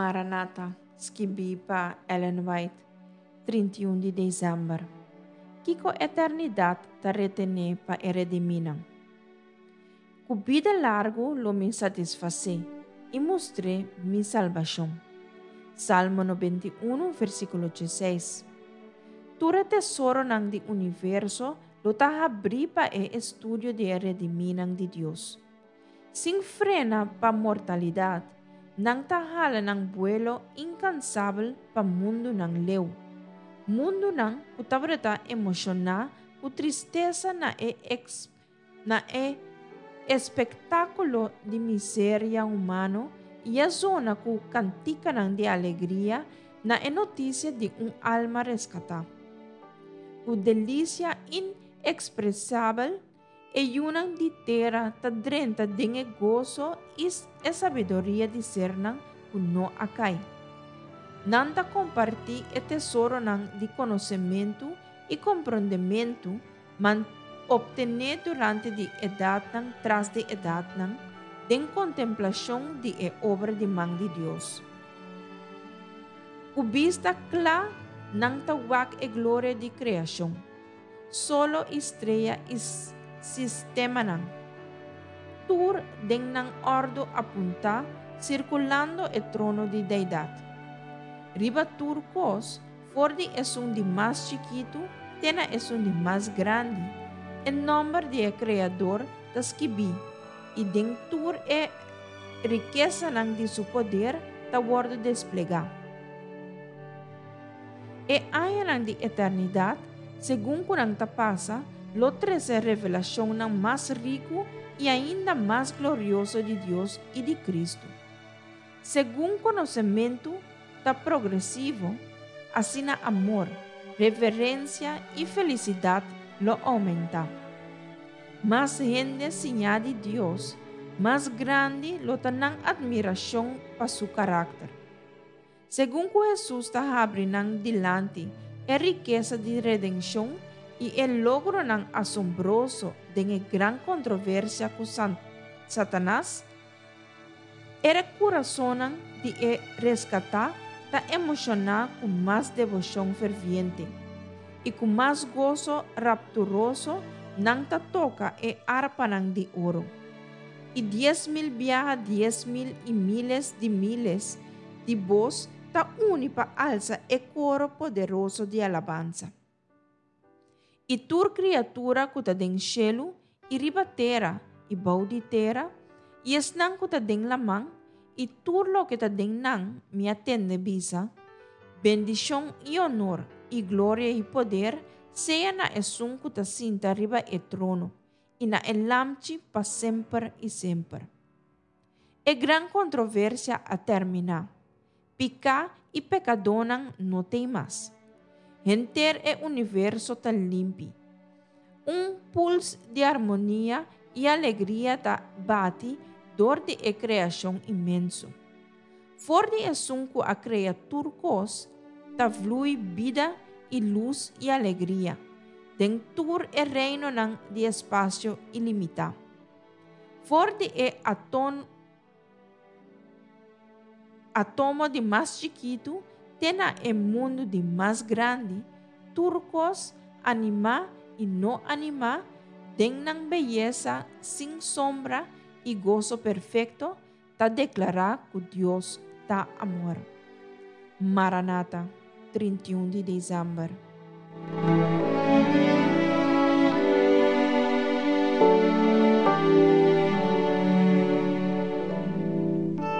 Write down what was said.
Maranata, skibí pa Ellen White, 31 di desèmber. Kiko eternidat ta retené pa e redimínan? Ku bida largu lo mi satisfasé i mustr'é mi salbashon. Salmo 91, versíkulo 16. Tur e tesoronan di universo lo ta habrí pa e estudio di e redimínan di Dios. Sin frena pa mortalidat, nan ta hala nan buelo inkansabel pa mundunan leu. Mundunan ku tabata emoshoná ku tristesa na e na e espektákulo di miseria humano i a zona ku kantikanan di alegria na e notisia di un alma reskatá. Ku delisia inekspresabel, e yunan di tera ta drenta den e goso i e sabiduria di sernan ku no a kai. Nan ta kompartí e tesoronan di konosementu i komprondementu man optené durante di edatnan tras di edatnan den kontemplashon di e obra di man di Dios. Ku bista kla nan ta wak e gloria di kreashon, solo i strea i sistemanan, tur den nan òrdu apuntá sirkulando e trono di Deidat. Riba tur kos, for di esun di mas chikitu te na esun di mas grandi, e nòmber di e Kreador ta skibí, i den tur e rikesanan di su poder ta wòrdu desplegá. E añanan di eternidat, segun ku nan ta pasa, lo trese revelashonnan mas riku i ainda mas glorioso di Dios i di Kristu. Segun konosementu ta progresivo, asina amor, reverensia i felisidat lo oumentá. Mas hende siñá di Dios, mas grandi lo ta nan atmirashon pa su karakter. Segun ku Hesus ta habri nan dilanti e rikesa di redenshon i e logronan asombroso den e gran kontroversia ku Satanas, e kurasonnan di e reskatá ta emoshoná ku mas deboshon ferviente, i ku mas goso rapturoso nan ta toka e arpanan di oro. I 10,000 biaha 10,000 i míles di míles di bos ta uni pa alsa e koro poderoso di alabansa. I tur kriatura ku ta den shelu i riba tera i bou di tera, i esnan ku ta den laman, i tur loke ta den nan, mi a tende bisa: Bendishon i onor i gloria i poder sea na esun ku ta sinta riba e trono, i na e Lamchi pa semper i semper. E gran kontroversia a terminá. Piká i pekadónan no t'ei mas. Henter e universo ta limpi. Un puls di armonia i alegria ta bati dor di e kreashon inmenso. For di esun ku a krea tur kos ta vlui bida i lus i alegria den tur e reinonan di espasio ilimitá. For di e aton atomo di mas chikitu te na e mundu di mas grandi, tur kos, animá i no animá, den nan beyesa sin sombra i goso perfekto, ta deklará ku Dios ta amor. Maranata, 31 di desèmber.